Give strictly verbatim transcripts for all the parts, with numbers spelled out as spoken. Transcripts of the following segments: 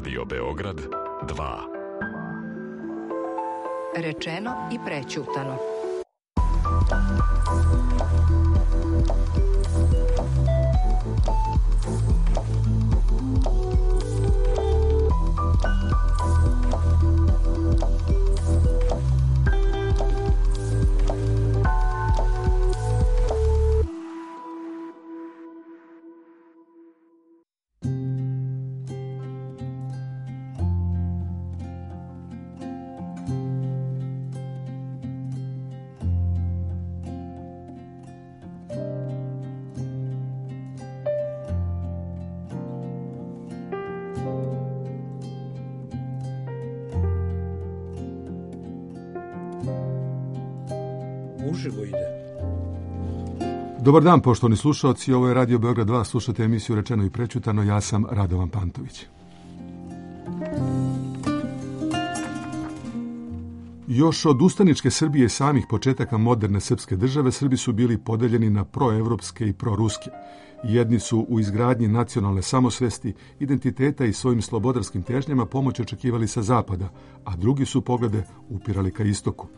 Radio Beograd dva. Rečeno i prećutano. Uživo ide. Dobar dan, poštovani slušalci, ovo je Radio Beograd dva, slušate emisiju Rečeno i prećutano, ja sam Radovan Pantović. Još od ustaničke Srbije samih početaka moderne srpske države, Srbi su bili podeljeni na proevropske i proruske. Jedni su u izgradnji nacionalne samosvesti, identiteta i svojim slobodarskim težnjama pomoć očekivali sa zapada, a drugi su poglede upirali ka istoku.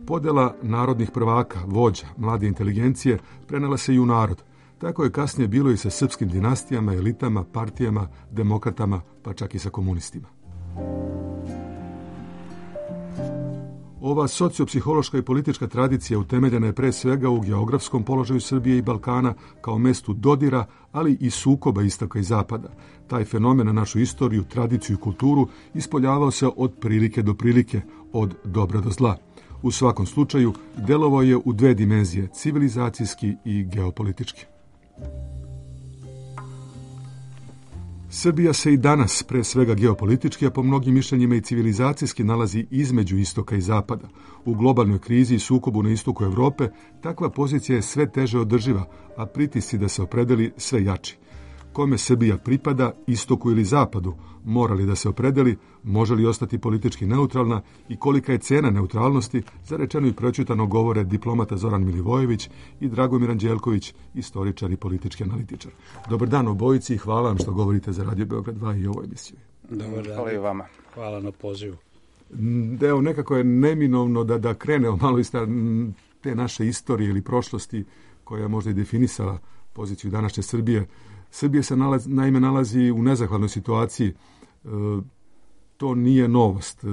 Podela narodnih prvaka, vođa, mlade inteligencije prenela se i u narod. Tako je kasnije bilo i sa srpskim dinastijama, elitama, partijama, demokratama, pa čak i sa komunistima. Ova sociopsihološka i politička tradicija utemeljena je pre svega u geografskom položaju Srbije i Balkana kao mestu dodira, ali i sukoba istoka i zapada. Taj fenomen na našu istoriju, tradiciju i kulturu ispoljavao se od prilike do prilike, od dobra do zla. U svakom slučaju, delovao je u dve dimenzije, civilizacijski i geopolitički. Srbija se i danas, pre svega geopolitički, a po mnogim mišljenjima i civilizacijski, nalazi između istoka i zapada. U globalnoj krizi i sukobu na istoku Evrope, takva pozicija je sve teže održiva, a pritisci da se opredeli sve jači. Kome Srbija pripada, istoku ili zapadu, mora li da se opredeli, može li ostati politički neutralna i kolika je cena neutralnosti, za rečeno i prećutano govore diplomata Zoran Milivojević i Dragomir Anđelković, istoričar i politički analitičar. Dobar dan obojici i hvala vam što govorite za Radio Beograd dva i ovoj emisiji. Dobar dan. Hvala i vama. Hvala na pozivu. Evo, nekako je neminovno da, da krenemo malo iz te naše istorije ili prošlosti koja je možda i definisala poziciju današnje Srbije. Srbija se nalazi, naime nalazi u nezahvalnoj situaciji, e, to nije novost. E,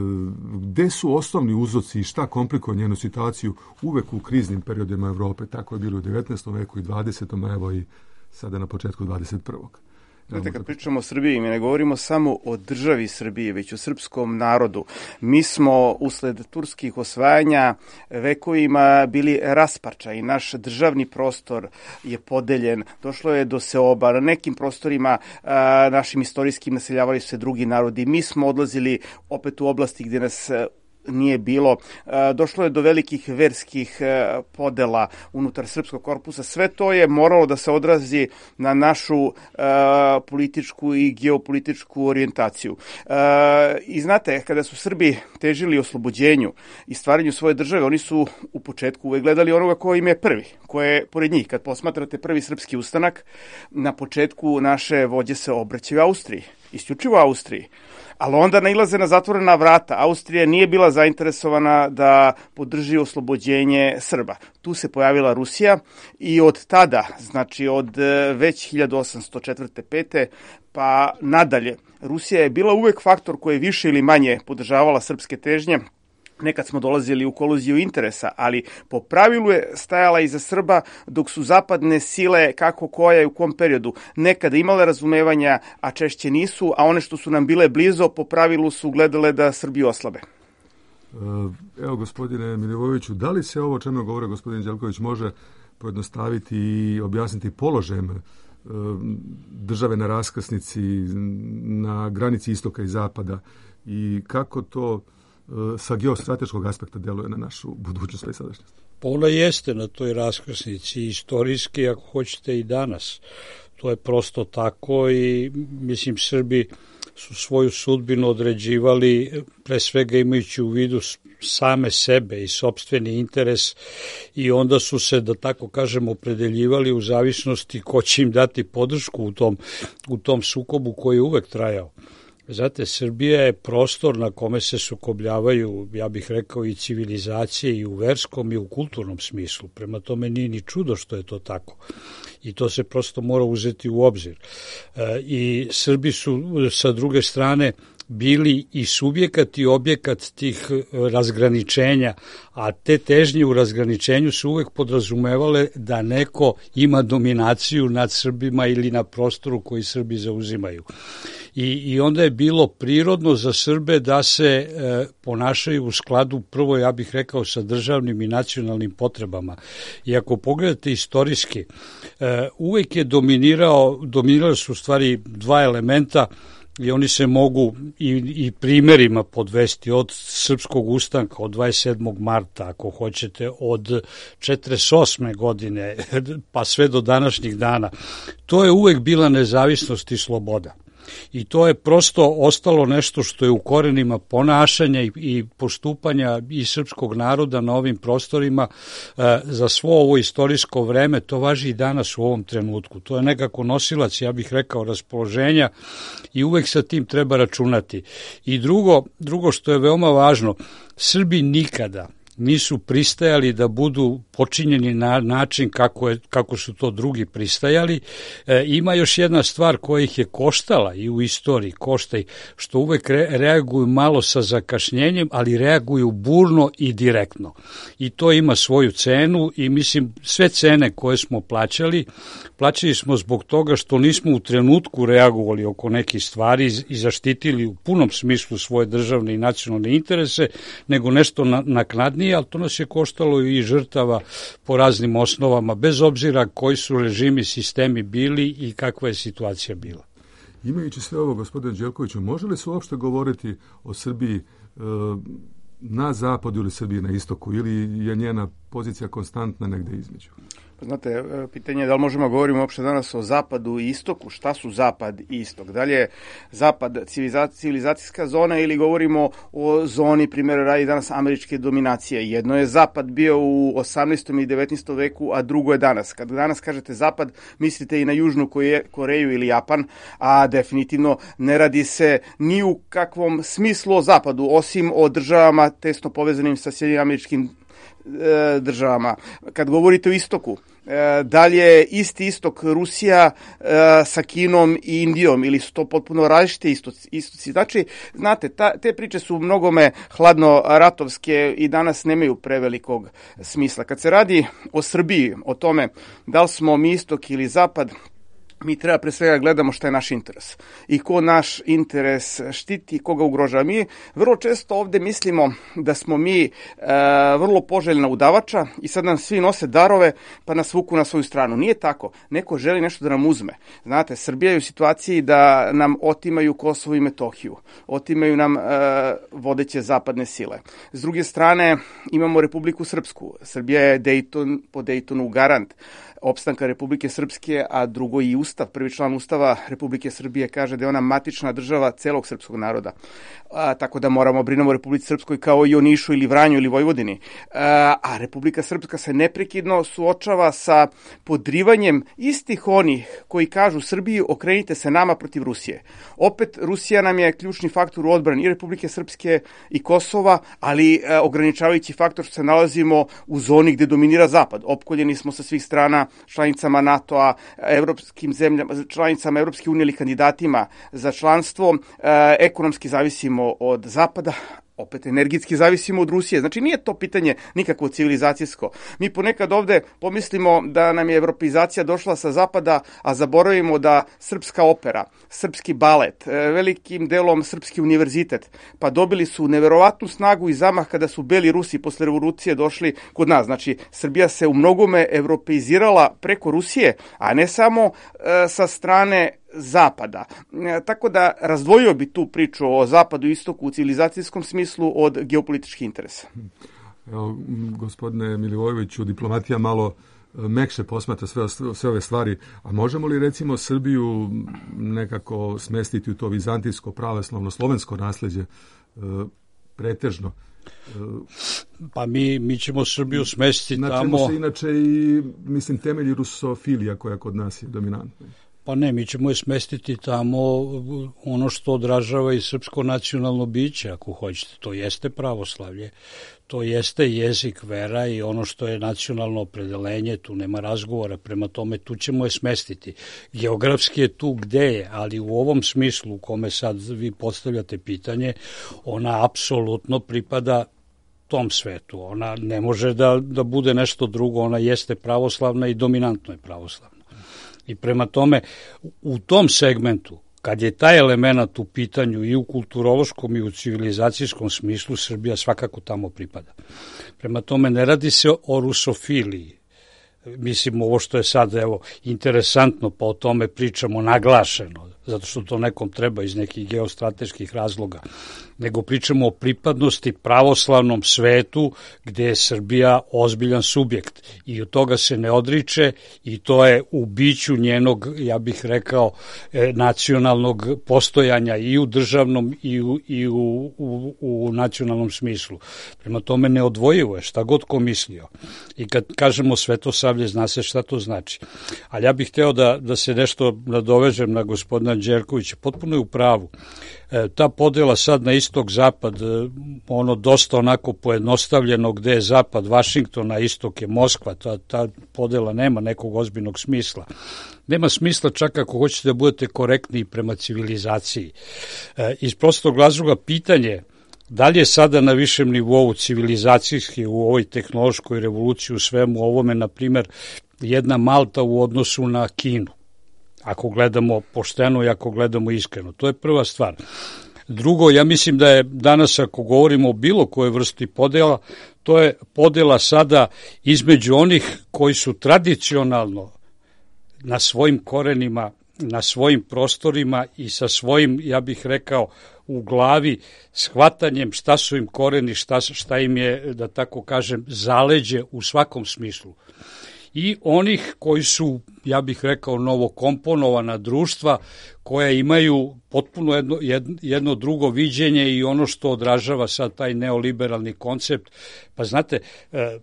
gde su osnovni uzroci i šta komplikuje njenu situaciju uvek u kriznim periodima Evrope? Tako je bilo u devetnaestom veku i dvadesetom, evo i sada na početku dvadeset prvog. Znate, kad pričamo o Srbiji, mi ne govorimo samo o državi Srbije, već o srpskom narodu. Mi smo usled turskih osvajanja vekovima bili rasparča i naš državni prostor je podeljen. Došlo je do seoba. Na nekim prostorima a, našim istorijskim naseljavali su se drugi narodi. Mi smo odlazili opet u oblasti gdje nas nije bilo. Došlo je do velikih verskih podela unutar srpskog korpusa. Sve to je moralo da se odrazi na našu političku i geopolitičku orijentaciju. I znate, kada su Srbi težili oslobođenju i stvaranju svoje države, oni su u početku uvek gledali onoga ko im je prvi, ko je pored njih. Kad posmatrate prvi srpski ustanak, na početku naše vođe se obraćaju Austriji, isključivo Austriji. Ali onda nailaze na zatvorena vrata. Austrija nije bila zainteresovana da podrži oslobođenje Srba. Tu se pojavila Rusija i od tada, znači od već hiljadu osamsto četvrte pete pa nadalje, Rusija je bila uvek faktor koji je više ili manje podržavala srpske težnje. Nekad smo dolazili u koliziju interesa, ali po pravilu je stajala iza Srba, dok su zapadne sile, kako koja i u kom periodu, nekada imale razumevanja, a češće nisu, a one što su nam bile blizo, po pravilu su gledale da Srbiju oslabe. Evo, gospodine Milivojeviću, da li se ovo, o čemu govore gospodin Đelković, može pojednostaviti i objasniti položajem države na raskrsnici, na granici istoka i zapada i kako to sa geostrateškog aspekta deluje na našu budućnost i sadašnjost? Pa ona jeste na toj raskrsnici, istorijski, ako hoćete i danas. To je prosto tako i, mislim, Srbi su svoju sudbinu određivali pre svega imajući u vidu same sebe i sopstveni interes i onda su se, da tako kažemo, opredeljivali u zavisnosti ko će im dati podršku u tom, u tom sukobu koji je uvek trajao. Znate, Srbija je prostor na kome se sukobljavaju, ja bih rekao, i civilizacije i u verskom i u kulturnom smislu. Prema tome nije ni čudo što je to tako. I to se prosto mora uzeti u obzir. E, I Srbi su sa druge strane bili i subjekat i objekat tih razgraničenja, a te težnje u razgraničenju su uvek podrazumevale da neko ima dominaciju nad Srbima ili na prostoru koji Srbi zauzimaju. I, i onda je bilo prirodno za Srbe da se e, ponašaju u skladu, prvo ja bih rekao, sa državnim i nacionalnim potrebama. I ako pogledate istorijski, e, uvek je dominirao, dominirali su u stvari dva elementa, i oni se mogu i, i primerima podvesti od srpskog ustanka od dvadeset sedmog marta, ako hoćete, od četrdeset osme godine pa sve do današnjih dana. To je uvek bila nezavisnost i sloboda. I to je prosto ostalo nešto što je u korenima ponašanja i, i postupanja i srpskog naroda na ovim prostorima e, za svo ovo istorijsko vreme. To važi i danas u ovom trenutku. To je nekako nosilac, ja bih rekao, raspoloženja i uvek sa tim treba računati. I drugo, drugo što je veoma važno, Srbi nikada nisu pristajali da budu počinjeni na način kako, je, kako su to drugi pristajali. E, ima još jedna stvar koja ih je koštala i u istoriji, košta ih, što uvek re, reaguju malo sa zakašnjenjem, ali reaguju burno i direktno. I to ima svoju cenu i mislim sve cene koje smo plaćali, plaćali smo zbog toga što nismo u trenutku reagovali oko nekih stvari i zaštitili u punom smislu svoje državne i nacionalne interese, nego nešto na, naknadnije, ali to nas je koštalo i žrtava po raznim osnovama, bez obzira koji su režimi, sistemi bili i kakva je situacija bila. Imajući sve ovo, gospodine Đelkoviću, može li se uopšte govoriti o Srbiji e, na zapadu ili Srbiji na istoku, ili je njena pozicija konstantna negde između? Znate, pitanje je da li možemo govoriti uopšte danas o zapadu i istoku, šta su zapad i istok? Da li je zapad civilizacijska zona ili govorimo o zoni, primjer, radi danas američke dominacije? Jedno je zapad bio u osamnaestom i devetnaestom veku, a drugo je danas. Kad danas kažete zapad, mislite i na Južnu Koreju ili Japan, a definitivno ne radi se ni u kakvom smislu o zapadu, osim o državama tesno povezanim sa Sjedinjenim Američkim državama. Kad govorite o istoku, dalje isti istok Rusija sa Kinom i Indijom, ili su to potpuno različite istoci, istoci. Znači, znate, ta, te priče su mnogome hladno ratovske i danas nemaju prevelikog smisla. Kad se radi o Srbiji, o tome da li smo mi istok ili zapad, mi treba pre svega gledamo šta je naš interes i ko naš interes štiti, koga ugrožava. Mi vrlo često ovde mislimo da smo mi e, vrlo poželjna udavača i sad nam svi nose darove pa nas vuku na svoju stranu. Nije tako. Neko želi nešto da nam uzme. Znate, Srbija je u situaciji da nam otimaju Kosovo i Metohiju. Otimaju nam e, vodeće zapadne sile. S druge strane, imamo Republiku Srpsku. Srbija je Dejton, po Dejtonu garant opstanka Republike Srpske, a drugo i Ustav, prvi član Ustava Republike Srbije kaže da je ona matična država celog srpskog naroda. A, tako da moramo brinemo o Republici Srpskoj kao i o Nišu ili Vranju ili Vojvodini. A, a Republika Srpska se neprekidno suočava sa podrivanjem istih onih koji kažu Srbiji okrenite se nama protiv Rusije. Opet Rusija nam je ključni faktor u odbrani i Republike Srpske i Kosova, ali a, ograničavajući faktor što se nalazimo u zoni gde dominira Zapad. Opkoljeni smo sa svih strana članicama NATO-a, evropskim zemljama, članicama Evropske unije ili kandidatima za članstvo, e, ekonomski zavisimo od Zapada, opet energetski zavisimo od Rusije. Znači nije to pitanje nikakvo civilizacijsko. Mi ponekad ovde pomislimo da nam je evropeizacija došla sa zapada, a zaboravimo da srpska opera, srpski balet, velikim delom srpski univerzitet, pa dobili su neverovatnu snagu i zamah kada su beli Rusi posle revolucije došli kod nas. Znači Srbija se u mnogome evropeizirala preko Rusije, a ne samo e, sa strane Zapada. E, tako da razdvojio bi tu priču o zapadu i istoku u civilizacijskom smislu od geopolitičkih interesa. Evo, gospodine Milivojeviću, diplomatija malo mekše posmatra sve, sve ove stvari, a možemo li recimo Srbiju nekako smestiti u to vizantijsko, pravoslavno, slovensko nasleđe e, pretežno? Pa mi, mi ćemo Srbiju smestiti na tamo. Na čemu se inače i, mislim, temelji rusofilija koja kod nas je dominantna. Pa ne, mi ćemo je smestiti tamo ono što odražava i srpsko nacionalno biće, ako hoćete. To jeste pravoslavlje, to jeste jezik, vera i ono što je nacionalno opredelenje, tu nema razgovora, prema tome tu ćemo je smestiti. Geografski je tu gde je, ali u ovom smislu u kome sad vi postavljate pitanje, ona apsolutno pripada tom svetu. Ona ne može da, da bude nešto drugo, ona jeste pravoslavna i dominantno je pravoslavna. I prema tome, u tom segmentu, kad je taj element u pitanju i u kulturološkom i u civilizacijskom smislu, Srbija svakako tamo pripada. Prema tome, ne radi se o rusofiliji. Mislim, ovo što je sad, evo, interesantno, pa o tome pričamo naglašeno, zato što to nekom treba iz nekih geostrateških razloga, nego pričamo o pripadnosti pravoslavnom svetu gde je Srbija ozbiljan subjekt i od toga se ne odriče i to je u biću njenog, ja bih rekao, nacionalnog postojanja i u državnom i u, i u, u, u nacionalnom smislu. Prema tome neodvojivo je šta god ko mislio. I kad kažemo Svetosavlje, zna se šta to znači. Ali ja bih hteo da, da se nešto nadovežem na gospodina Đerkovića. Potpuno je u pravu. E, ta podela sad na istok-zapad, ono dosta onako pojednostavljeno gde je zapad Vašingtona, istok je Moskva, ta, ta podela nema nekog ozbiljnog smisla. Nema smisla čak ako hoćete da budete korektni prema civilizaciji. E, iz prostog razloga pitanje da li je sada na višem nivou civilizacijski u ovoj tehnološkoj revoluciji u svemu ovome, na primer, jedna Malta u odnosu na Kinu, ako gledamo pošteno i ako gledamo iskreno. To je prva stvar. Drugo, ja mislim da je danas, ako govorimo o bilo kojoj vrsti podela, to je podela sada između onih koji su tradicionalno na svojim korenima, na svojim prostorima i sa svojim, ja bih rekao, u glavi shvatanjem šta su im koreni, šta, šta im je, da tako kažem, zaleđe u svakom smislu. I onih koji su, ja bih rekao, novokomponovana društva koja imaju potpuno jedno, jedno drugo viđenje i ono što odražava sad taj neoliberalni koncept. Pa znate, eh,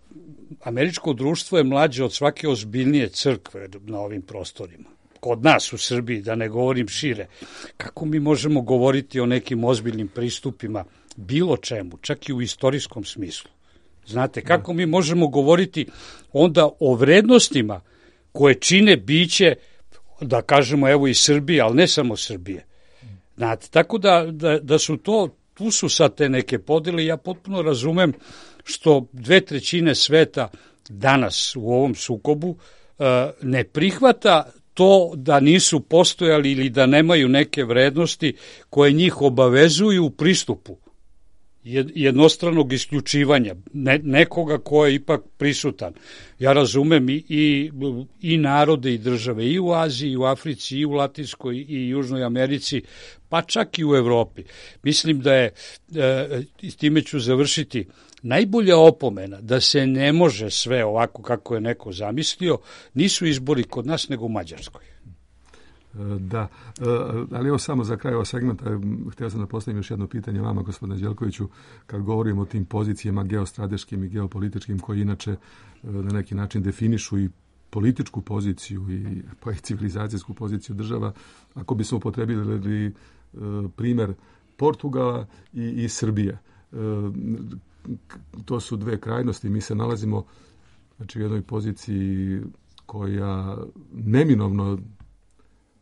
američko društvo je mlađe od svake ozbiljnije crkve na ovim prostorima. Kod nas u Srbiji, da ne govorim šire. Kako mi možemo govoriti o nekim ozbiljnim pristupima, bilo čemu, čak i u istorijskom smislu? Znate, kako mi možemo govoriti onda o vrednostima koje čine biće, da kažemo, evo i Srbije, ali ne samo Srbije. Znate, tako da, da, da su to, tu su sad te neke podele, ja potpuno razumem što dve trećine sveta danas u ovom sukobu ne prihvata to da nisu postojali ili da nemaju neke vrednosti koje njih obavezuju u pristupu jednostranog isključivanja ne, nekoga ko je ipak prisutan. Ja razumem i, i, i narode i države i u Aziji, i u Africi, i u Latinskoj i Južnoj Americi, pa čak i u Evropi. Mislim da je, e, s time ću završiti, najbolja opomena da se ne može sve ovako kako je neko zamislio, nisu izbori kod nas nego u Mađarskoj. Da, ali evo samo za kraj ovog segmenta, htio sam da postavim još jedno pitanje vama, gospodine Đelkoviću, kad govorimo o tim pozicijama geostrateškim i geopolitičkim koji inače na neki način definišu i političku poziciju i pa i civilizacijsku poziciju država, ako bismo upotrebili primer Portugala i, i Srbije. To su dve krajnosti, mi se nalazimo znači, u jednoj poziciji koja neminovno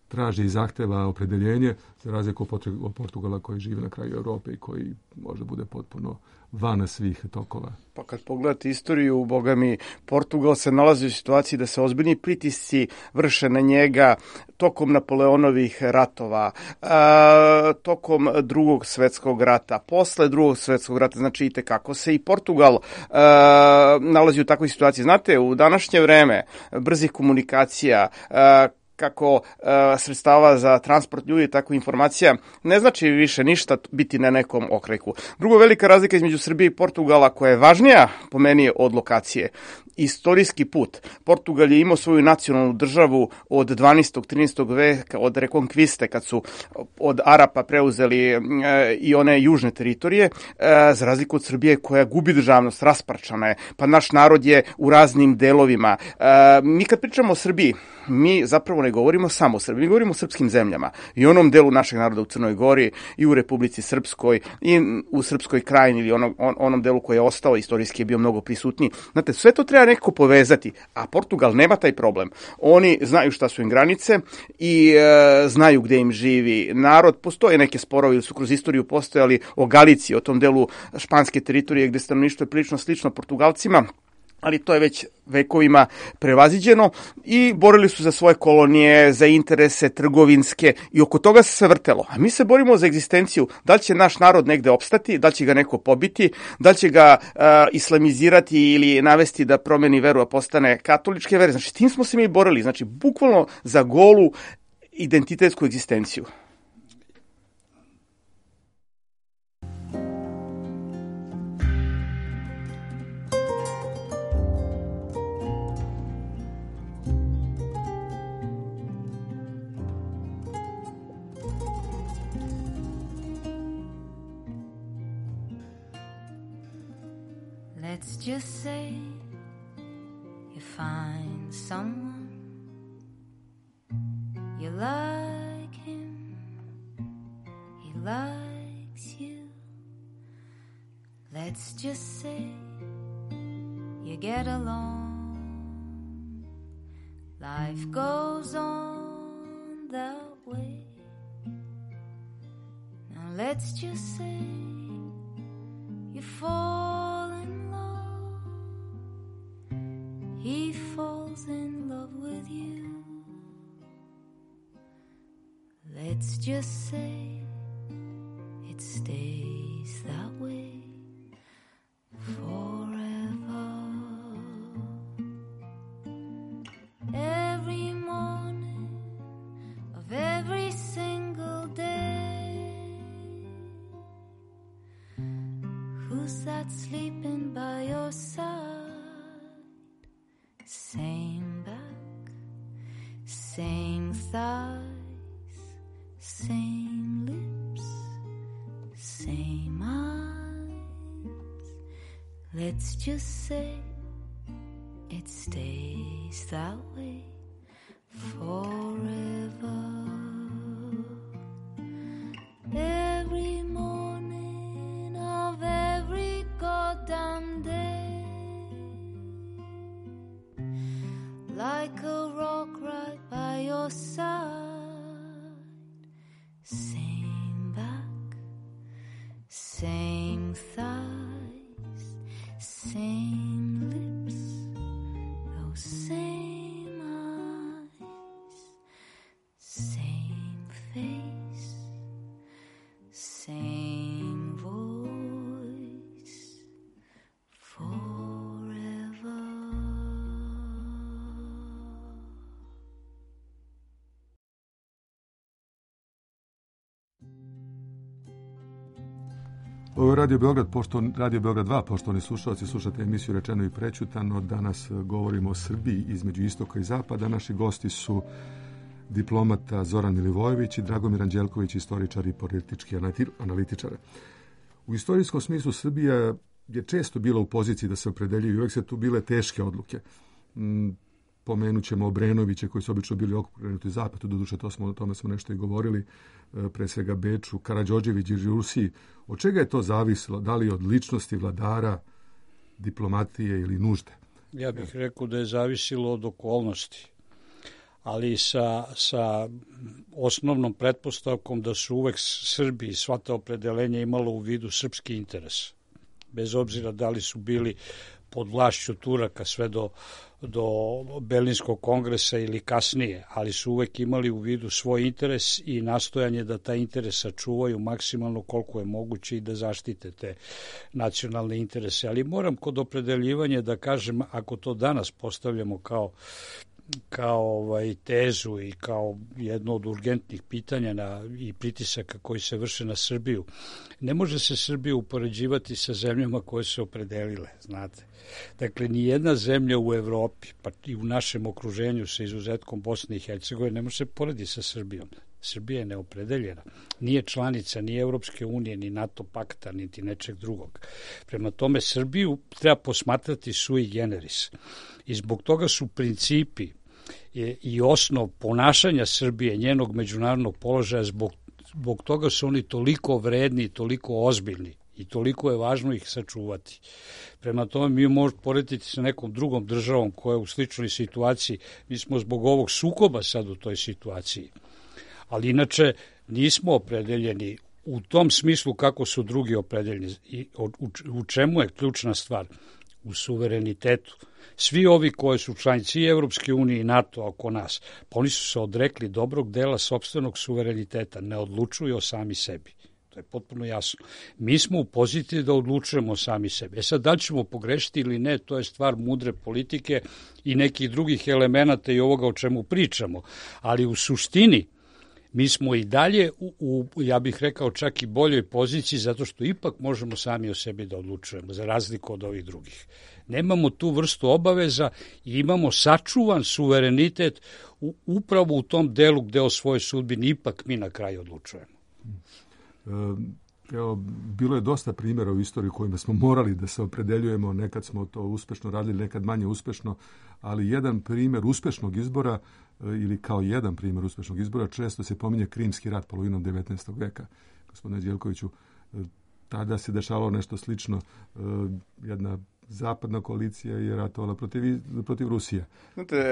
traži i zahteva opredeljenje, za razliku od Portugala koji živi na kraju Evrope i koji možda bude potpuno van svih tokova. Pa kad pogledate istoriju, boga mi, Portugal se nalazi u situaciji da se ozbiljni pritisci vrše na njega tokom Napoleonovih ratova, a, tokom drugog svetskog rata, posle drugog svetskog rata, znači i tekako se i Portugal a, nalazi u takvoj situaciji. Znate, u današnje vreme brzih komunikacija, a, kako uh, sredstava za transport ljudi, tako informacija, ne znači više ništa biti na nekom okreku. Drugo, velika razlika između Srbije i Portugala, koja je važnija po meni od lokacije, istorijski put. Portugal je imao svoju nacionalnu državu od dvanaestog trinaestog veka, od rekonkviste, kad su od Arapa preuzeli e, i one južne teritorije, e, za razliku od Srbije koja gubi državnost, rasparčana je, pa naš narod je u raznim delovima. E, mi kad pričamo o Srbiji, mi zapravo ne govorimo samo o Srbiji, mi govorimo o srpskim zemljama i onom delu našeg naroda u Crnoj Gori i u Republici Srpskoj i u Srpskoj krajini ili onom, on, onom delu koji je ostao, istorijski je bio mnogo prisutniji. Znate, sve to treba nekako povezati, a Portugal nema taj problem. Oni znaju šta su im granice i e, znaju gde im živi narod. Postoje neke sporovi ili su kroz istoriju postojali o Galiciji, o tom delu španske teritorije gde stanovništvo je prilično slično Portugalcima, ali to je već vekovima prevaziđeno i borili su za svoje kolonije, za interese trgovinske i oko toga se sve vrtelo. A mi se borimo za egzistenciju, da li će naš narod negde opstati, da li će ga neko pobiti, da li će ga uh, islamizirati ili navesti da promeni veru, a postane katoličke vere. Znači, tim smo se mi borili, znači, bukvalno za golu identitetsku egzistenciju. Let's just say you find someone, you like him, he likes you. Let's just say you get along, life goes on that way. Now let's just say you fall in love, he falls in love with you. Let's just say it stays that way forever. Every morning of every single day, who's that sleeping by your side? Same back, same thighs, same lips, same eyes. Let's just say it stays that way forever. Every morning of every goddamn day, like a rock right by your side. Same back, same thighs, same lips, those same eyes, same face, same voice, forever. Ovo je Radio Beograd, pošto, Radio Beograd dva, poštovani slušalci, slušate emisiju Rečeno i prećutano. Danas govorimo o Srbiji između istoka i zapada. Naši gosti su diplomata Zoran Milivojević i Dragomir Anđelković, istoričar i politički analitičar. U istorijskom smislu Srbija je često bila u poziciji da se opredeljuje i uvek se tu bile teške odluke. Pomenut ćemo Obrenoviće koji su obično bili okrenuti zapadu, doduše to smo, o tome smo nešto i govorili, pre svega Beču, Karađorđević i Rusiji. Od čega je to zavisilo? Da li od ličnosti vladara, diplomatije ili nužde? Ja bih rekao da je zavisilo od okolnosti, ali sa, sa osnovnom pretpostavkom da su uvek Srbi i sva ta opredelenja imalo u vidu srpski interes. Bez obzira da li su bili pod vlašću Turaka sve do, do Berlinskog kongresa ili kasnije, ali su uvek imali u vidu svoj interes i nastojanje da taj interes sačuvaju maksimalno koliko je moguće i da zaštite te nacionalne interese. Ali moram kod opredeljivanja da kažem, ako to danas postavljamo kao kao ovaj, tezu i kao jedno od urgentnih pitanja na, i pritisaka koji se vrše na Srbiju. Ne može se Srbiju upoređivati sa zemljama koje su opredelile, znate. Dakle, ni jedna zemlja u Evropi, pa i u našem okruženju sa izuzetkom Bosne i Hercegovine, ne može se porediti sa Srbijom. Srbija je neopredeljena. Nije članica ni Evropske unije, ni NATO pakta, niti nečeg drugog. Prema tome, Srbiju treba posmatrati sui generis. I zbog toga su principi i osnov ponašanja Srbije, njenog međunarodnog položaja, zbog, zbog toga su oni toliko vredni, toliko ozbiljni i toliko je važno ih sačuvati. Prema tome, mi možemo porediti sa nekom drugom državom koja je u sličnoj situaciji. Mi smo zbog ovog sukoba sad u toj situaciji. Ali inače nismo opredeljeni u tom smislu kako su drugi opredeljeni. I u, u čemu je ključna stvar? U suverenitetu. Svi ovi koji su članici i Evropske unije i NATO oko nas, pa oni su se odrekli dobrog dela sopstvenog suvereniteta, ne odlučuju o sami sebi. To je potpuno jasno. Mi smo u poziciji da odlučujemo sami sebi. E sad, da li ćemo pogrešiti ili ne, to je stvar mudre politike i nekih drugih elemenata i ovoga o čemu pričamo. Ali u suštini, mi smo i dalje, u, u, ja bih rekao, čak i boljoj poziciji, zato što ipak možemo sami o sebi da odlučujemo, za razliku od ovih drugih. Nemamo tu vrstu obaveza i imamo sačuvan suverenitet u, upravo u tom delu gde o svojoj sudbini ipak mi na kraju odlučujemo. Evo, bilo je dosta primjera u istoriji kojima smo morali da se opredeljujemo, nekad smo to uspešno radili, nekad manje uspešno, ali jedan primjer uspešnog izbora ili kao jedan primjer uspešnog izbora često se pominje Krimski rat polovinom devetnaestog veka. Gospodine Đelkoviću, tada se dešavalo nešto slično, jedna zapadna koalicija je ratovala protiv, protiv Rusije. Znate,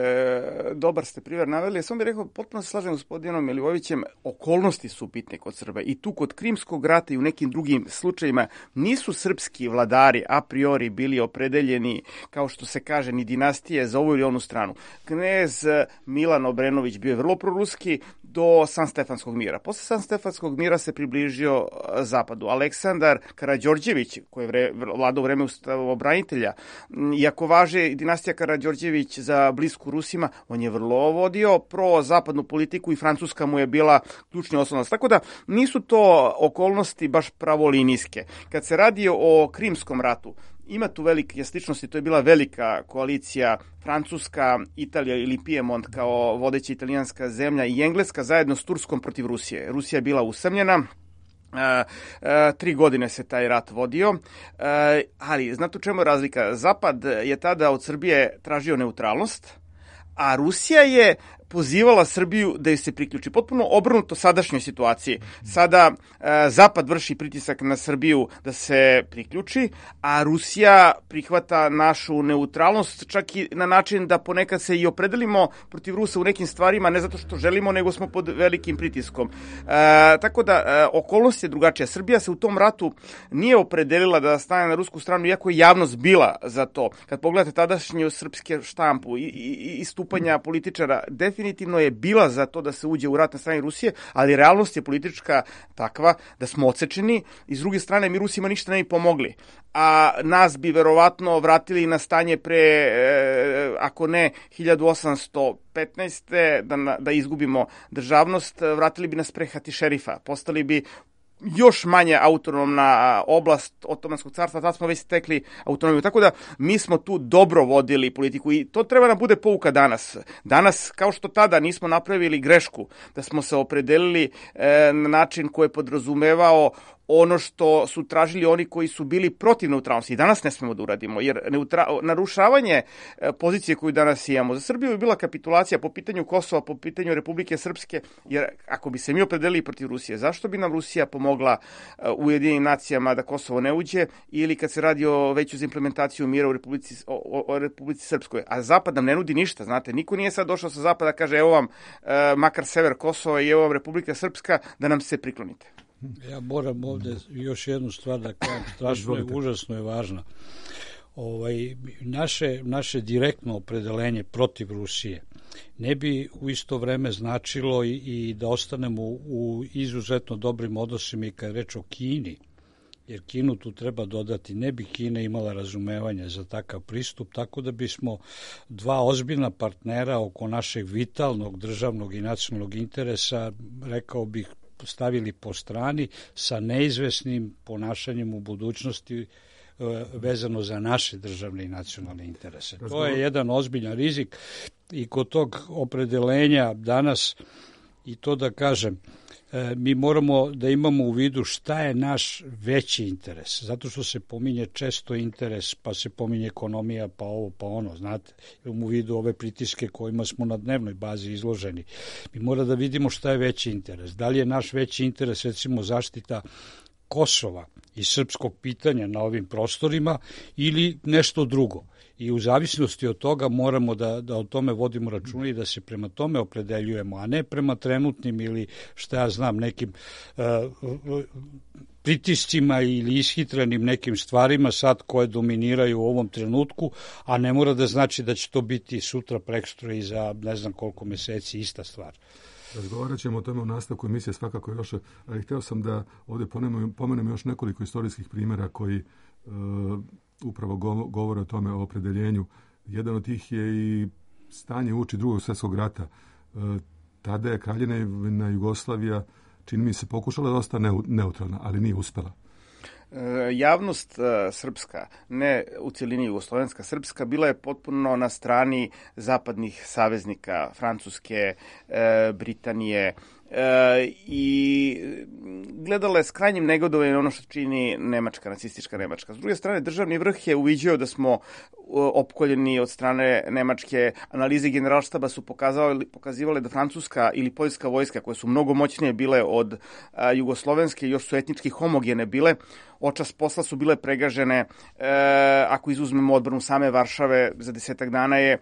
dobar ste primjer naveli. Samo bih rekao, potpuno se slažem s gospodinom Milivojevićem, okolnosti su bitne kod Srba. I tu kod Krimskog rata i u nekim drugim slučajima nisu srpski vladari a priori bili opredeljeni, kao što se kaže, ni dinastije za ovu ili onu stranu. Knez Milan Obrenović bio je vrlo proruski do Sanstefanskog mira. Posle Sanstefanskog mira se približio zapadu. Aleksandar Karađorđević, koji je vre, vladao vreme ustavobranitelja, iako važe dinastija Karađorđević za blisku Rusima, on je vrlo vodio pro-zapadnu politiku i Francuska mu je bila ključni oslonac. Tako da nisu to okolnosti baš pravolinijske. Kad se radi o Krimskom ratu, ima tu velike sličnosti, to je bila velika koalicija Francuska, Italija ili Piemont kao vodeća italijanska zemlja i Engleska zajedno s Turskom protiv Rusije. Rusija je bila usamljena, Uh, uh, tri godine se taj rat vodio, uh, ali znate u čemu je razlika? Zapad je tada od Srbije tražio neutralnost, a Rusija je pozivala Srbiju da joj se priključi. Potpuno obrnuto sadašnjoj situaciji. Sada e, Zapad vrši pritisak na Srbiju da se priključi, a Rusija prihvata našu neutralnost čak i na način da ponekad se i opredelimo protiv Rusa u nekim stvarima, ne zato što želimo, nego smo pod velikim pritiskom. E, tako da, e, okolnost je drugačija. Srbija se u tom ratu nije opredelila da stane na rusku stranu, iako je javnost bila za to. Kad pogledate tadašnju srpske štampu i, i, i stupanja političara, definitivno je bila za to da se uđe u rat na strani Rusije, ali realnost je politička takva da smo odsečeni i s druge strane mi Rusima ništa ne bi pomogli. A nas bi verovatno vratili na stanje pre, e, ako ne hiljadu osamsto petnaeste. Da, da izgubimo državnost, vratili bi nas pre Hatišerifa. Postali bi još manje autonomna oblast Otomanskog carstva, tad smo već stekli autonomiju. Tako da mi smo tu dobro vodili politiku i to treba nam bude pouka danas. Danas, kao što tada nismo napravili grešku, da smo se opredelili e, na način koji je podrazumevao ono što su tražili oni koji su bili protiv neutralnosti. I danas ne smemo da uradimo, jer neutra... narušavanje pozicije koju danas imamo za Srbiju je bila kapitulacija po pitanju Kosova, po pitanju Republike Srpske, jer ako bi se mi opredelili protiv Rusije, zašto bi nam Rusija pomogla u Ujedinjenim nacijama da Kosovo ne uđe, ili kad se radi o veću za implementaciju mira u Republici, o, o Republici Srpskoj. A Zapad nam ne nudi ništa, znate, niko nije sad došao sa Zapada, kaže evo vam e, makar sever Kosova i evo vam Republika Srpska, da nam se priklonite. Ja moram ovde još jednu stvar da kažem, strašno je, užasno je važna. Ovaj, naše, naše direktno opredelenje protiv Rusije ne bi u isto vreme značilo i, i da ostanemo u, u izuzetno dobrim odnosima i kad je reč o Kini jer Kinu tu treba dodati. Ne bi Kina imala razumevanja za takav pristup, tako da bismo dva ozbiljna partnera oko našeg vitalnog državnog i nacionalnog interesa, rekao bih, stavili po strani sa neizvesnim ponašanjem u budućnosti vezano za naše državne i nacionalne interese. To je jedan ozbiljan rizik i kod tog opredelenja danas, i to da kažem, mi moramo da imamo u vidu šta je naš veći interes, zato što se pominje često interes, pa se pominje ekonomija, pa ovo, pa ono, znate, imamo u vidu ove pritiske kojima smo na dnevnoj bazi izloženi. Mi moramo da vidimo šta je veći interes. Da li je naš veći interes, recimo, zaštita Kosova i srpskog pitanja na ovim prostorima ili nešto drugo. I u zavisnosti od toga moramo da, da o tome vodimo računa i da se prema tome opredeljujemo, a ne prema trenutnim ili šta ja znam nekim uh, pritiscima ili ishitrenim nekim stvarima sad koje dominiraju u ovom trenutku, a ne mora da znači da će to biti sutra, prekosutra i za ne znam koliko meseci ista stvar. Razgovarat ćemo o tome u nastavku emisije svakako još, ali hteo sam da ovdje pomenem, pomenem još nekoliko istorijskih primjera koji uh, upravo govore o tome, o opredeljenju. Jedan od tih je i stanje uoči Drugog svjetskog rata. Uh, tada je Kraljevina Jugoslavija, čini mi se, pokušala da ostane neutralna, ali nije uspela. Javnost srpska, ne u cjelini jugoslovenska srpska, bila je potpuno na strani zapadnih saveznika, Francuske, Britanije, E, i gledala je s krajnjim negodovanjem ono što čini Nemačka, nacistička Nemačka. S druge strane, državni vrh je uviđao da smo opkoljeni od strane Nemačke. Analize generalštaba su pokazivale, pokazivale da francuska ili poljska vojska, koje su mnogo moćnije bile od a, jugoslovenske, još su etnički homogene bile, očas posla su bile pregažene. E, ako izuzmemo odbranu same Varšave, za desetak dana je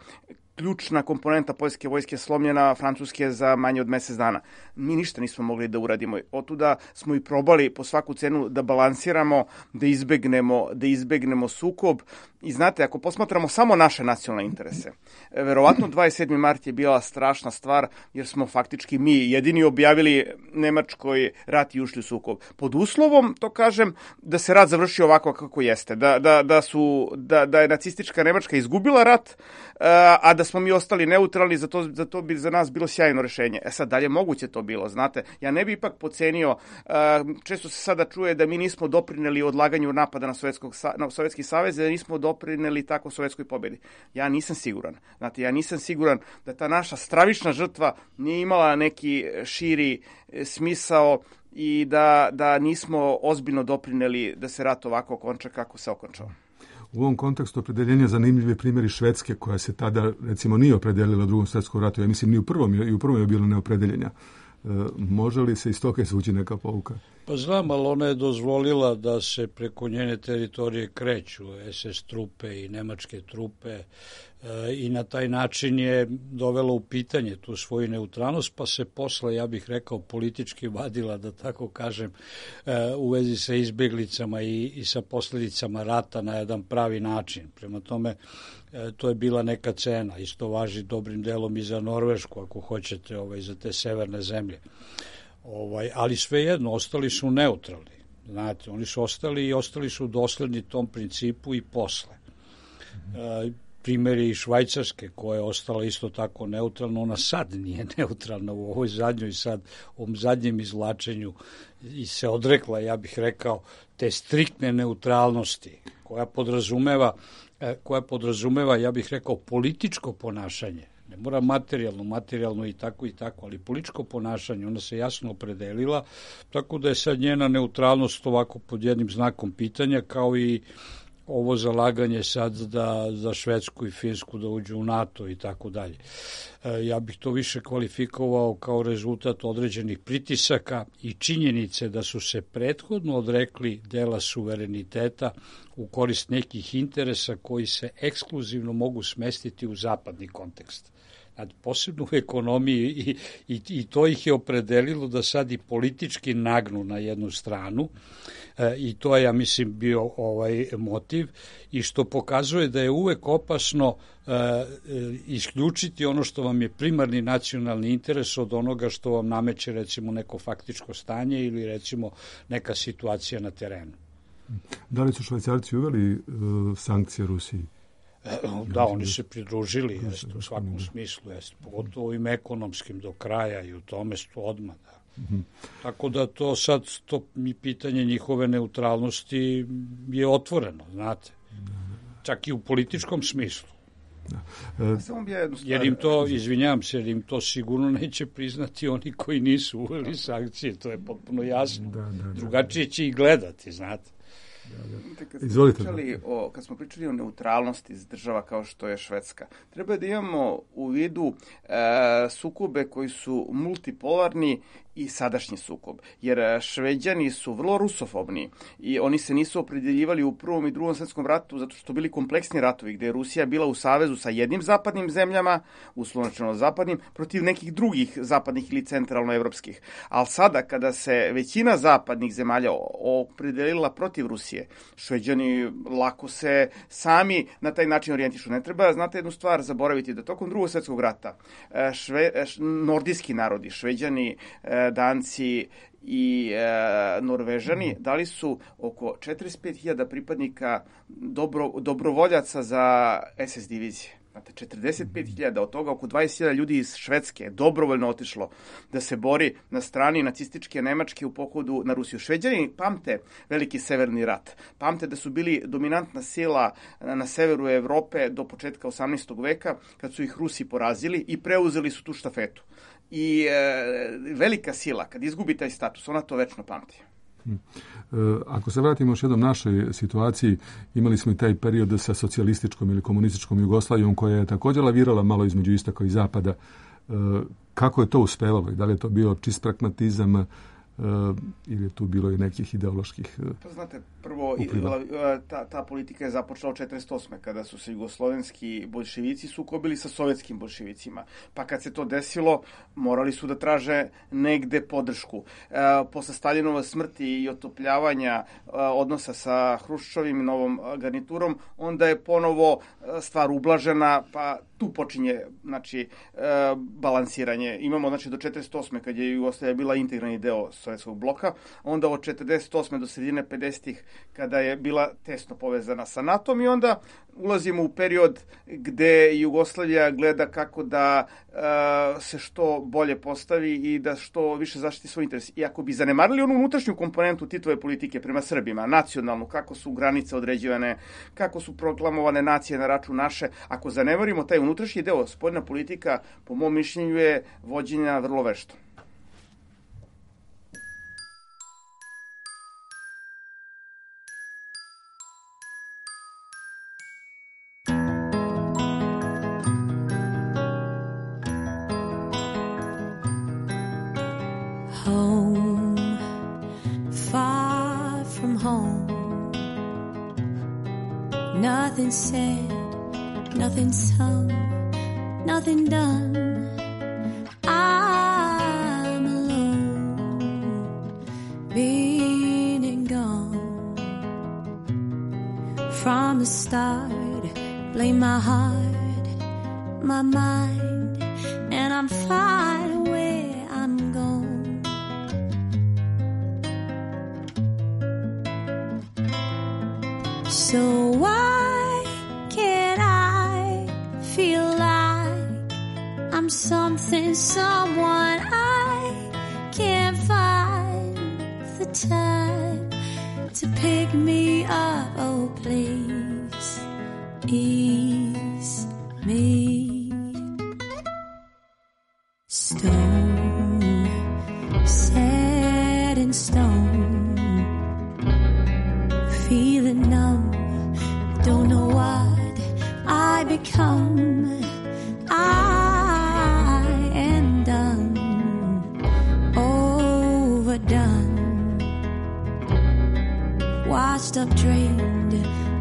ključna komponenta poljske vojske slomljena, francuske za manje od mjesec dana. Mi ništa nismo mogli da uradimo. Otuda smo i probali po svaku cenu da balansiramo, da izbegnemo, da izbegnemo sukob. I znate, ako posmatramo samo naše nacionalne interese, verovatno dvadeset sedmi mart je bila strašna stvar, jer smo faktički mi jedini objavili Nemačkoj rat i ušli u sukob. Pod uslovom, to kažem, da se rat završi ovako kako jeste. Da, da, da, su, da, da je nacistička Nemačka izgubila rat, a da smo mi ostali neutralni, za to, za to bi za nas bilo sjajno rješenje. E sad, dalje moguće to bilo, znate. Ja ne bi ipak pocenio, često se sada čuje da mi nismo doprineli odlaganju napada na, Sovjetskog, na Sovjetski savez, da nismo doprineli tako sovjetskoj pobjedi. Ja nisam siguran. Znate, ja nisam siguran da ta naša stravična žrtva nije imala neki širi smisao i da, da nismo ozbiljno doprineli da se rat ovako okonča kako se okončao. U ovom kontekstu opredeljenja zanimljivi primjeri Švedske, koja se tada, recimo, nije opredelila u Drugom svjetskom ratu. Ja mislim, ni u prvom, i u prvom je bilo neopredeljenja. E, može li se iz toga izvući neka pouka? Pa znam, ali ona je dozvolila da se preko njene teritorije kreću es es trupe i nemačke trupe e, i na taj način je dovela u pitanje tu svoju neutralnost, pa se posle, ja bih rekao, politički vadila, da tako kažem, e, u vezi sa izbjeglicama i, i sa posljedicama rata na jedan pravi način. Prema tome, e, to je bila neka cena. Isto važi dobrim delom i za Norvešku, ako hoćete, ovaj, za te severne zemlje. Ovaj, ali svejedno, ostali su neutralni. Znate, oni su ostali i ostali su dosledni tom principu i posle. E, primjer je i Švajcarske, koja je ostala isto tako neutralna. Ona sad nije neutralna u ovoj zadnjoj sad, u ovom zadnjem izvlačenju i se odrekla, ja bih rekao, te striktne neutralnosti koja podrazumeva, koja podrazumeva, ja bih rekao, političko ponašanje. Ne mora materijalno, materijalno i tako i tako, ali političko ponašanje, ona se jasno opredelila, tako da je sad njena neutralnost ovako pod jednim znakom pitanja, kao i ovo zalaganje sad da za Švedsku i Finsku da uđu u NATO i tako dalje. Ja bih to više kvalifikovao kao rezultat određenih pritisaka i činjenice da su se prethodno odrekli dela suvereniteta u korist nekih interesa koji se ekskluzivno mogu smestiti u zapadni kontekst. Posebno u ekonomiji i, i, i to ih je opredelilo da sad i politički nagnu na jednu stranu e, i to je, ja mislim, bio ovaj motiv i što pokazuje da je uvek opasno e, isključiti ono što vam je primarni nacionalni interes od onoga što vam nameće, recimo, neko faktičko stanje ili, recimo, neka situacija na terenu. Da li su Švajcarci uveli uh, sankcije Rusiji? Da, oni se pridružili, jest, u svakom smislu, jest, pogotovo ovim ekonomskim do kraja i u tome su odmah, da. Mm-hmm. Tako da to sad, to mi pitanje njihove neutralnosti je otvoreno, znate, čak i u političkom smislu. Da. E, jer im to, izvinjam se, jer im to sigurno neće priznati oni koji nisu uveli sankcije, to je potpuno jasno. Da, da, da, drugačije će i gledati, znate. Kad smo, pričali o, kad smo pričali o neutralnosti iz država kao što je Švedska, treba da imamo u vidu e, sukobe koji su multipolarni i sadašnji sukob. Jer Šveđani su vrlo rusofobni i oni se nisu opredeljivali u Prvom i Drugom svetskom ratu zato što su bili kompleksni ratovi gde je Rusija bila u savezu sa jednim zapadnim zemljama, uslovno zapadnim, protiv nekih drugih zapadnih ili centralnoevropskih. Ali sada kada se većina zapadnih zemalja opredelila protiv Rusije, Šveđani lako se sami na taj način orijentišu. Ne treba, znate jednu stvar, zaboraviti da tokom Drugog svetskog rata šve, nordijski narodi, Šveđani, Danci i e, Norvežani dali su oko četrdeset pet hiljada pripadnika dobro, dobrovoljaca za es es divizije. Znate, četrdeset pet hiljada, od toga oko dvadeset hiljada ljudi iz Švedske je dobrovoljno otišlo da se bori na strani nacističke Nemačke u pohodu na Rusiju. Šveđani pamte veliki severni rat. Pamte da su bili dominantna sila na severu Evrope do početka osamnaestog veka, kad su ih Rusi porazili i preuzeli su tu štafetu. I e, velika sila, kad izgubi taj status, ona to večno pamti. Hmm. E, ako se vratimo još jednom našoj situaciji, imali smo i taj period sa socijalističkom ili komunističkom Jugoslavijom koja je također lavirala malo između istoka i zapada. E, kako je to uspevalo i da li je to bio čist pragmatizam e, ili je tu bilo i nekih ideoloških uh, pa znate, prvo ta, ta politika je započela od četrdeset osme kada su se jugoslovenski boljševici sukobili sa sovjetskim boljševicima. Pa kad se to desilo, morali su da traže negde podršku. E, posle Staljinove smrti i otopljavanja e, odnosa sa Hruščovim i novom garniturom, onda je ponovo stvar ublažena, pa tu počinje, znači, e, balansiranje. Imamo, znači, do četrdeset osme kad je Jugoslavija bila integralni deo sovjetskog bloka, onda od četrdeset osme do sredine pedesetih kada je bila tesno povezana sa natom i onda ulazimo u period gde Jugoslavija gleda kako da uh, se što bolje postavi i da što više zaštiti svoj interes. I ako bi zanemarili onu unutrašnju komponentu Titove politike prema Srbima, nacionalnu, kako su granice određivane, kako su proklamovane nacije na račun naše, ako zanemarimo taj unutrašnji deo, spoljna politika, po mom mišljenju, je vođenja vrlo vešto. Home, far from home. Nothing said, nothing sung, nothing done. I'm alone, been and gone. From the start, blame my heart, my mind, and I'm fine where I'm gone. So why can't I feel like I'm something, someone I can't find the time to pick me up? Oh, please ease me. Stone, set in stone, feeling numb. Don't know what I become. I am done, overdone, washed up, drained,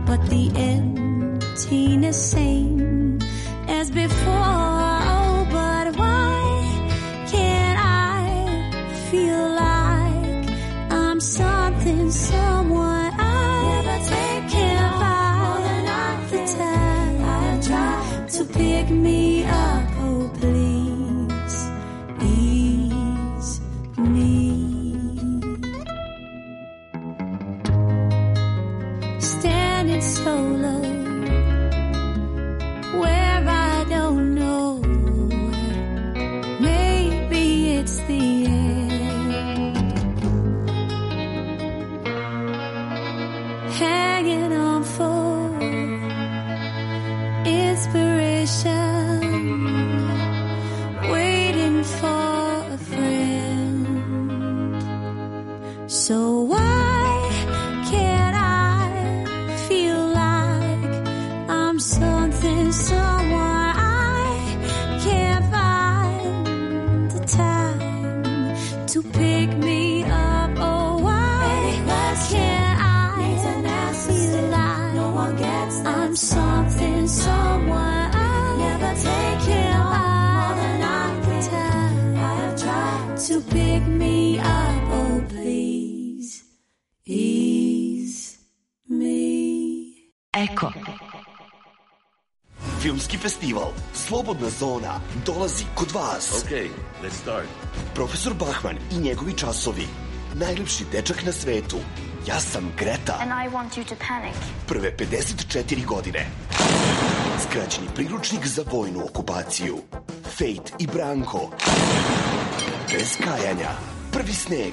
but the emptiness same as before. Oh, but why can't I feel like I'm something, someone I never take care of? To pick me up, oh please ease me. station, waiting for a friend. So why can't I feel like I'm something, someone I can't find the time to pick me up? Oh, why can't I feel like I'm something, someone I never take care of more than I can. I have tried to pick me up. Oh, please ease me. Eko. Filmski festival Slobodna zona dolazi kod vas. Okay, let's start. Profesor Bachman i njegovi časovi. Najljepši dečak na svetu. Ja sam Greta. And I want you to panic. Prve pedeset četiri godine. Skraćeni priručnik za vojnu okupaciju. Fate i Branko. Bez kajanja. Prvi sneg.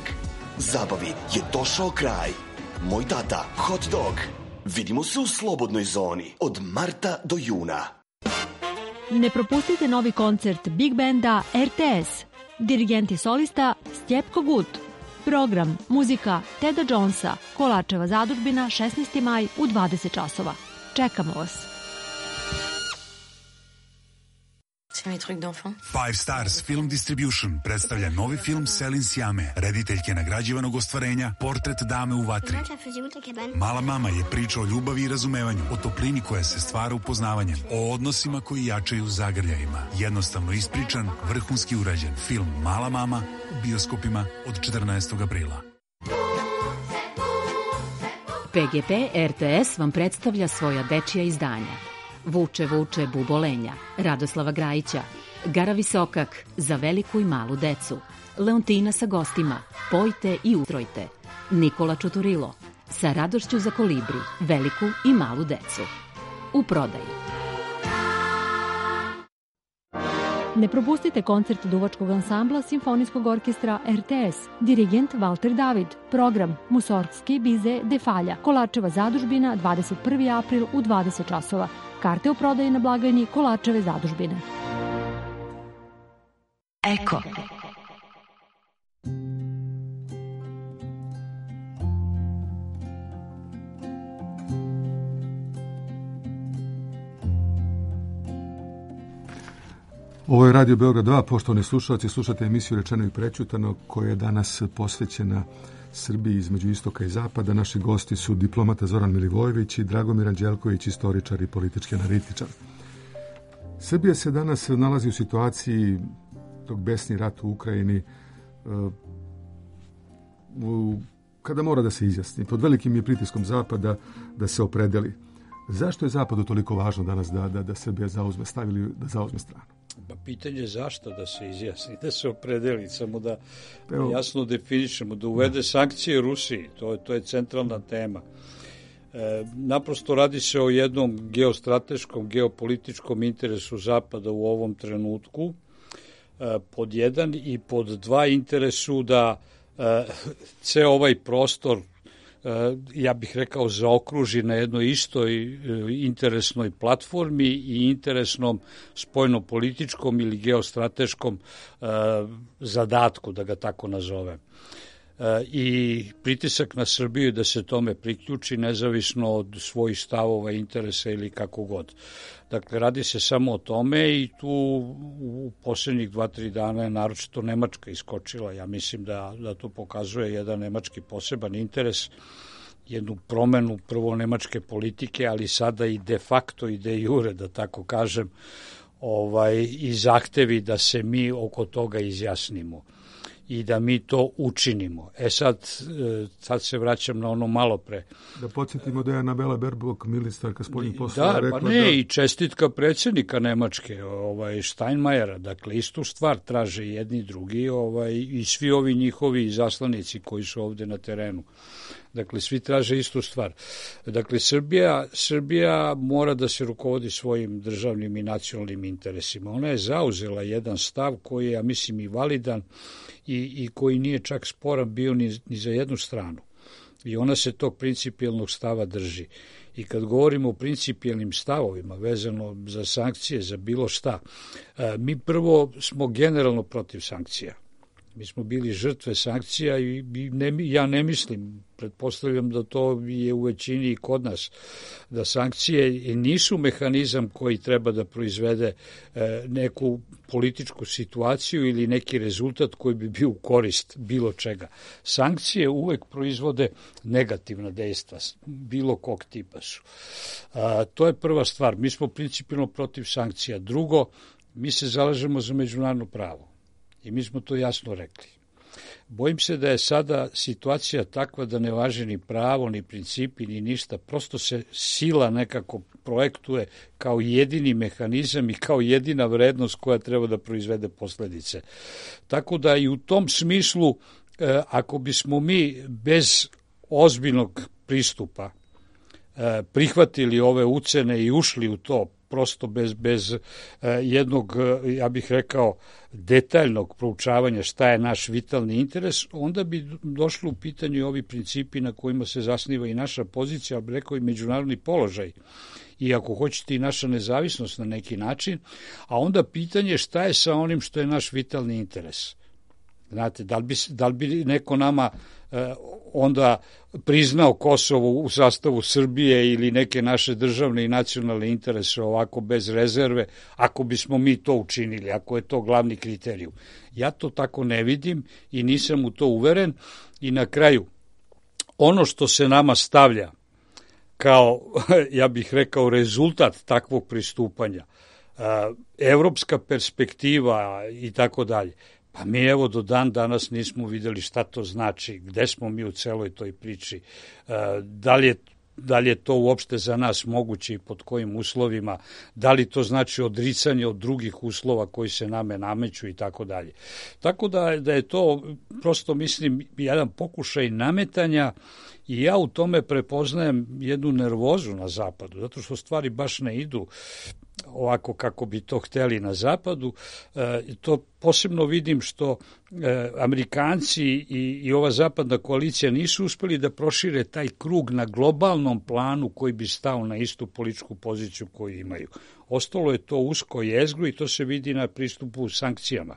Zabavi je došao kraj. Moj tata, hot dog. Vidimo se u Slobodnoj zoni od marta do juna. Ne propustite novi koncert Big Banda R T S. Dirigent i solista Stjepko Gut. Program, muzika Teda Jonesa, Kolačeva zadužbina, šesnaesti maj u dvadeset časova. Čekamo vas. Five Stars Film Distribution predstavlja novi film Selin Sjame, rediteljke nagrađivanog ostvarenja Portret dame u vatri. Mala mama je priča o ljubavi i razumevanju, o toplini koja se stvara upoznavanjem, o odnosima koji jačaju zagrljajima. Jednostavno ispričan, vrhunski urađen film Mala mama u bioskopima od četrnaestog aprila. P G P R T S vam predstavlja svoja dečija izdanja. Vuče, vuče, bubolenja, Radoslava Grajića, Gara Visokak, za veliku i malu decu, Leontina sa gostima, Pojte i ustrojte, Nikola Čuturilo, sa radošću za kolibri, veliku i malu decu. U prodaji. Ne propustite koncert duvačkog ansambla Simfonijskog orkestra R T S, dirigent Valter David, program Musorgski bize Defalja, Kolačeva zadužbina, dvadeset prvi april u dvadeset časova. Karte u prodaji na blagajni Kolačeve zadužbine. Eko. Ovo je Radio Beograd dva, poštovani slušalci, slušate emisiju Rečeno i prećutano koja je danas posvećena Srbiji između istoka i zapada. Naši gosti su diplomata Zoran Milivojević i Dragomir Anđelković, istoričar i politički analitičar. Srbija se danas nalazi u situaciji tog besni rat u Ukrajini, kada mora da se izjasni. Pod velikim je pritiskom zapada da se opredeli. Zašto je zapadu toliko važno danas da, da, da Srbija zauzme, stavili da zauzme stranu? Pa pitanje je zašto da se izjasni, da se opredeli, samo da Evo. jasno definišemo, da uvede sankcije Rusiji, to, to je centralna tema. E, naprosto radi se o jednom geostrateškom, geopolitičkom interesu Zapada u ovom trenutku, e, pod jedan, i pod dva interesu da e, ceo ovaj prostor, ja bih rekao, zaokruži na jednoj istoj interesnoj platformi i interesnom spoljnopolitičkom ili geostrateškom zadatku, da ga tako nazovem. I pritisak na Srbiju da se tome priključi nezavisno od svojih stavova, interesa ili kako god. Dakle, radi se samo o tome i tu u posljednjih dva, tri dana je naročito Nemačka iskočila. Ja mislim da, da to pokazuje jedan nemački poseban interes, jednu promenu prvo nemačke politike, ali sada i de facto i de jure, da tako kažem, ovaj, i zahtevi da se mi oko toga izjasnimo i da mi to učinimo. E sad, sad se vraćam na ono malo pre. Da podsjetimo da je Anabela Baerbock, ministarka spoljnih poslova, da, rekla pa ne, da... i čestitka predsjednika Nemačke, ovaj, Steinmeiera, dakle, istu stvar traže jedni i drugi, ovaj, i svi ovi njihovi zaslanici koji su ovde na terenu. Dakle, svi traže istu stvar. Dakle, Srbija, Srbija mora da se rukovodi svojim državnim i nacionalnim interesima. Ona je zauzela jedan stav koji je, ja mislim, i validan i, i koji nije čak sporan bio ni, ni za jednu stranu. I ona se tog principijelnog stava drži. I kad govorimo o principijelnim stavovima vezano za sankcije, za bilo šta, mi prvo smo generalno protiv sankcija. Mi smo bili žrtve sankcija i ne, ja ne mislim, pretpostavljam da to je u većini i kod nas, da sankcije nisu mehanizam koji treba da proizvede neku političku situaciju ili neki rezultat koji bi bio u korist bilo čega. Sankcije uvek proizvode negativna dejstva, bilo kog tipa su. A, to je prva stvar. Mi smo principijelno protiv sankcija. Drugo, mi se zalažemo za međunarodno pravo. I mi smo to jasno rekli. Bojim se da je sada situacija takva da ne važi ni pravo, ni principi, ni ništa. Prosto se sila nekako projektuje kao jedini mehanizam i kao jedina vrednost koja treba da proizvede posledice. Tako da i u tom smislu, ako bismo mi bez ozbiljnog pristupa prihvatili ove ucene i ušli u to, prosto bez, bez jednog, ja bih rekao, detaljnog proučavanja šta je naš vitalni interes, onda bi došlo u pitanju ovi principi na kojima se zasniva i naša pozicija, ali rekao i međunarodni položaj. I ako hoćete i naša nezavisnost na neki način, a onda pitanje šta je sa onim što je naš vitalni interes. Znate, da li bi, da li bi neko nama eh, onda priznao Kosovo u sastavu Srbije ili neke naše državne i nacionalne interese ovako bez rezerve, ako bismo mi to učinili, ako je to glavni kriterijum. Ja to tako ne vidim i nisam u to uveren. I na kraju, ono što se nama stavlja kao, ja bih rekao, rezultat takvog pristupanja, eh, evropska perspektiva i tako dalje, pa mi evo do dan danas nismo videli šta to znači, gde smo mi u celoj toj priči, da li je, da li je to uopšte za nas moguće i pod kojim uslovima, da li to znači odricanje od drugih uslova koji se name nameću i tako dalje. Tako da, da je to prosto, mislim, jedan pokušaj nametanja i ja u tome prepoznajem jednu nervozu na zapadu, zato što stvari baš ne idu ovako kako bi to hteli na zapadu. E, to posebno vidim što e, Amerikanci i, i ova zapadna koalicija nisu uspeli da prošire taj krug na globalnom planu koji bi stao na istu političku poziciju koju imaju. Ostalo je to usko jezgro i to se vidi na pristupu sankcijama.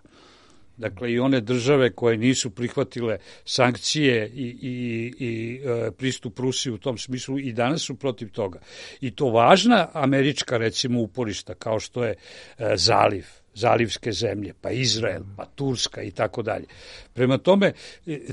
Dakle, i one države koje nisu prihvatile sankcije i, i, i e, pristup Rusiji u tom smislu i danas su protiv toga. I to važna američka, recimo, uporišta, kao što je e, zaliv, zalivske zemlje, pa Izrael, pa Turska i tako dalje. Prema tome,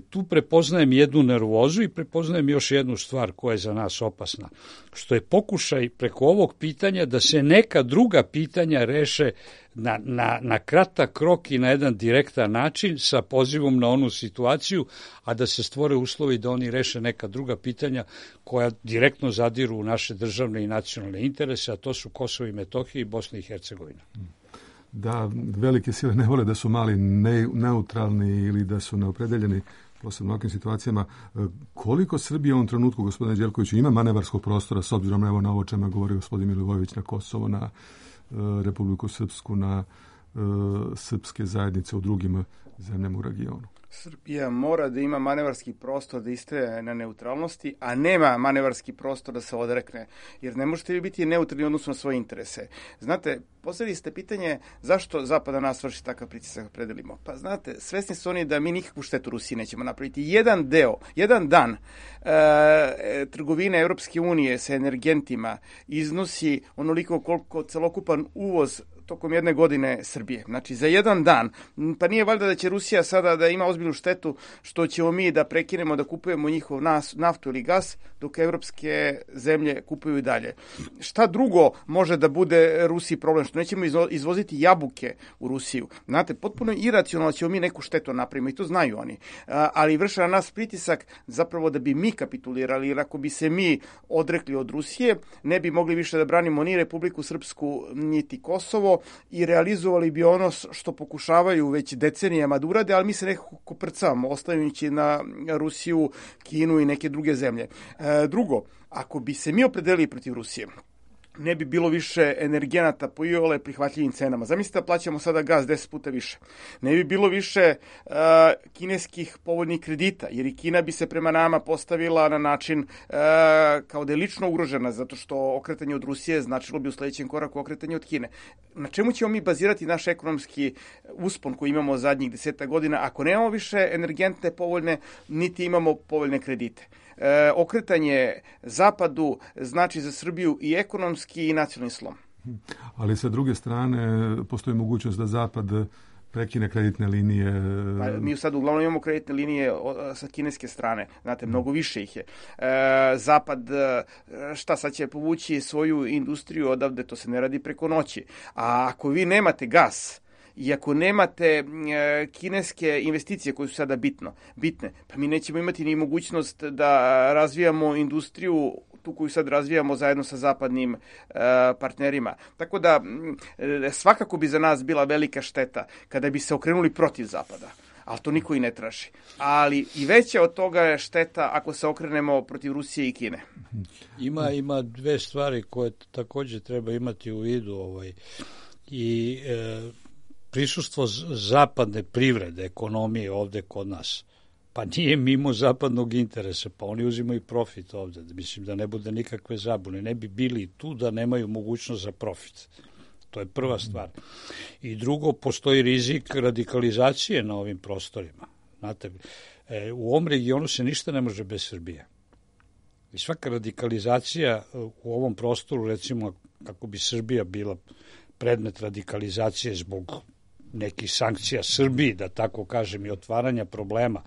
tu prepoznajem jednu nervozu i prepoznajem još jednu stvar koja je za nas opasna, što je pokušaj preko ovog pitanja da se neka druga pitanja reše na, na, na kratak rok i na jedan direktan način sa pozivom na onu situaciju, a da se stvore uslovi da oni reše neka druga pitanja koja direktno zadiru u naše državne i nacionalne interese, a to su Kosovo i Metohija i Bosna i Hercegovina. Da velike sile ne vole da su mali ne, neutralni ili da su neopredeljeni, posebno u ovakvim situacijama. Koliko Srbija u ovom trenutku, gospodine Đelkoviću, ima manevarskog prostora s obzirom evo na ovo čemu je govorio gospodin Milivojević, na Kosovo, na uh, Republiku Srpsku, na uh, srpske zajednice u drugim zemljama u regionu? Srbija mora da ima manevarski prostor da istraje na neutralnosti, a nema manevarski prostor da se odrekne, jer ne možete vi biti neutralni odnosno na svoje interese. Znate, postavili ste pitanje zašto Zapad na nas vrši takav pritisak predelimo. Pa znate, svesni su oni da mi nikakvu štetu Rusiji nećemo napraviti. Jedan deo, jedan dan e, trgovine Evropske unije sa energentima iznosi onoliko koliko celokupan uvoz tokom jedne godine Srbije. Znači, za jedan dan. Pa nije valjda da će Rusija sada da ima ozbiljnu štetu što ćemo mi da prekinemo da kupujemo njihov nas, naftu ili gas, dok evropske zemlje kupuju i dalje. Šta drugo može da bude Rusiji problem? Što nećemo izvoziti jabuke u Rusiju. Znate, potpuno iracionalno ćemo mi neku štetu napravimo i to znaju oni. Ali vrše na nas pritisak zapravo da bi mi kapitulirali, jer ako bi se mi odrekli od Rusije, ne bi mogli više da branimo ni Republiku Srpsku, niti Kosovo, i realizovali bi ono što pokušavaju već decenijama da urade, ali mi se nekako prcamo, ostavljajući na Rusiju, Kinu i neke druge zemlje. E, drugo, ako bi se mi opredelili protiv Rusije, ne bi bilo više energenata po iole prihvatljivim cenama. Zamislite da plaćamo sada gas deset puta više. Ne bi bilo više uh, kineskih povoljnih kredita, jer i Kina bi se prema nama postavila na način uh, kao da je lično ugrožena, zato što okretanje od Rusije značilo bi u sledećem koraku okretanje od Kine. Na čemu ćemo mi bazirati naš ekonomski uspon koji imamo zadnjih deseta godina ako nemamo više energentne povoljne, niti imamo povoljne kredite? E, okretanje zapadu znači za Srbiju i ekonomski i nacionalni slom. Ali sa druge strane postoji mogućnost da zapad prekine kreditne linije. Pa, mi sad uglavnom imamo kreditne linije sa kineske strane, znate, mnogo više ih je. E, zapad, šta sad će povući svoju industriju odavde, to se ne radi preko noći. A ako vi nemate gas, i ako nemate e, kineske investicije koje su sada bitno, bitne, pa mi nećemo imati ni mogućnost da razvijamo industriju tu koju sad razvijamo zajedno sa zapadnim e, partnerima. Tako da e, svakako bi za nas bila velika šteta kada bi se okrenuli protiv zapada. Ali to niko i ne traži. Ali i veća od toga je šteta ako se okrenemo protiv Rusije i Kine. Ima, ima dve stvari koje takođe treba imati u vidu. Ovaj, i e, prisustvo zapadne privrede, ekonomije ovde kod nas, pa nije mimo zapadnog interesa, pa oni uzimaju profit ovde. Mislim da ne bude nikakve zabune. Ne bi bili tu da nemaju mogućnost za profit. To je prva stvar. I drugo, postoji rizik radikalizacije na ovim prostorima. Znate, u ovom regionu se ništa ne može bez Srbije. I svaka radikalizacija u ovom prostoru, recimo, kako bi Srbija bila predmet radikalizacije zbog nekih sankcija Srbiji, da tako kažem, i otvaranja problema,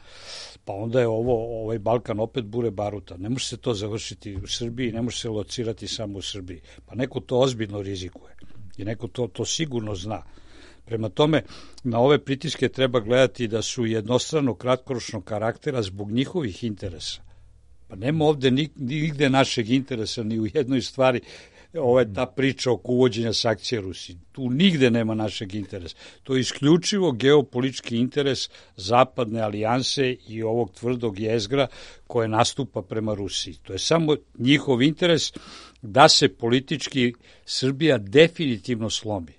pa onda je ovo, ovaj Balkan opet bure baruta. Ne može se to završiti u Srbiji, ne može se locirati samo u Srbiji. Pa neko to ozbiljno rizikuje i neko to, to sigurno zna. Prema tome, na ove pritiske treba gledati da su jednostrano kratkoročnog karaktera zbog njihovih interesa. Pa nema ovde nigde našeg interesa ni u jednoj stvari. Ovo je ta priča oko uvođenja sankcija Rusiji. Tu nigde nema našeg interesa. To je isključivo geopolitički interes zapadne alijanse i ovog tvrdog jezgra koje nastupa prema Rusiji. To je samo njihov interes da se politički Srbija definitivno slomi.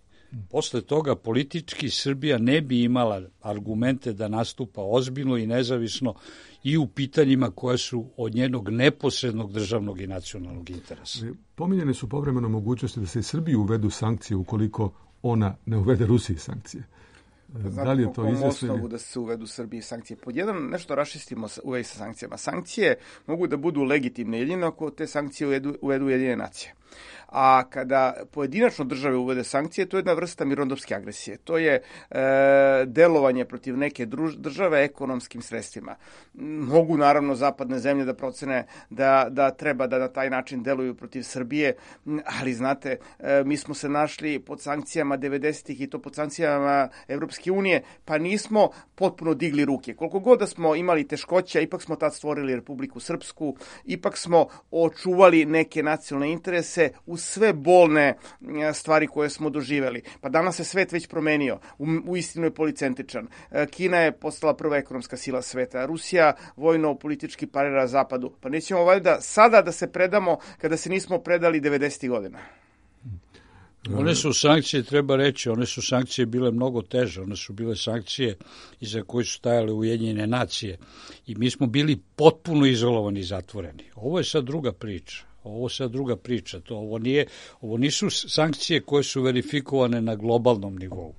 Posle toga politički Srbija ne bi imala argumente da nastupa ozbiljno i nezavisno i u pitanjima koje su od njenog neposrednog državnog i nacionalnog interesa. Pominjene su povremeno mogućnosti da se i Srbiji uvedu sankcije ukoliko ona ne uvede Rusiji sankcije. Znate, da li je to izvesno da se uvedu Srbiji sankcije? Pod jedan, nešto raščistimo u vezi sa sankcijama. Sankcije mogu da budu legitimne jedino ako te sankcije uvedu, uvedu Ujedinjene nacije. A kada pojedinačno države uvede sankcije, to je jedna vrsta mirnodopske agresije. To je e, delovanje protiv neke druž, države ekonomskim sredstvima. Mogu naravno zapadne zemlje da procene da, da treba da na taj način deluju protiv Srbije, ali znate, e, mi smo se našli pod sankcijama devedesetih i to pod sankcijama Evropske unije, pa nismo potpuno digli ruke. Koliko god da smo imali teškoća, ipak smo tad stvorili Republiku Srpsku, ipak smo očuvali neke nacionalne interese u sve bolne stvari koje smo doživeli. Pa danas se svet već promenio. U, u istinu je policentričan. Kina je postala prva ekonomska sila sveta. Rusija vojno-politički parira Zapadu. Pa nećemo valjda sada da se predamo kada se nismo predali devedesetih godina. One su sankcije, treba reći, one su sankcije bile mnogo teže. One su bile sankcije iza koje su stajale Ujedinjene nacije. I mi smo bili potpuno izolovani i zatvoreni. Ovo je sad druga priča. Ovo sad druga priča. To, ovo, nije, ovo nisu sankcije koje su verifikovane na globalnom nivou.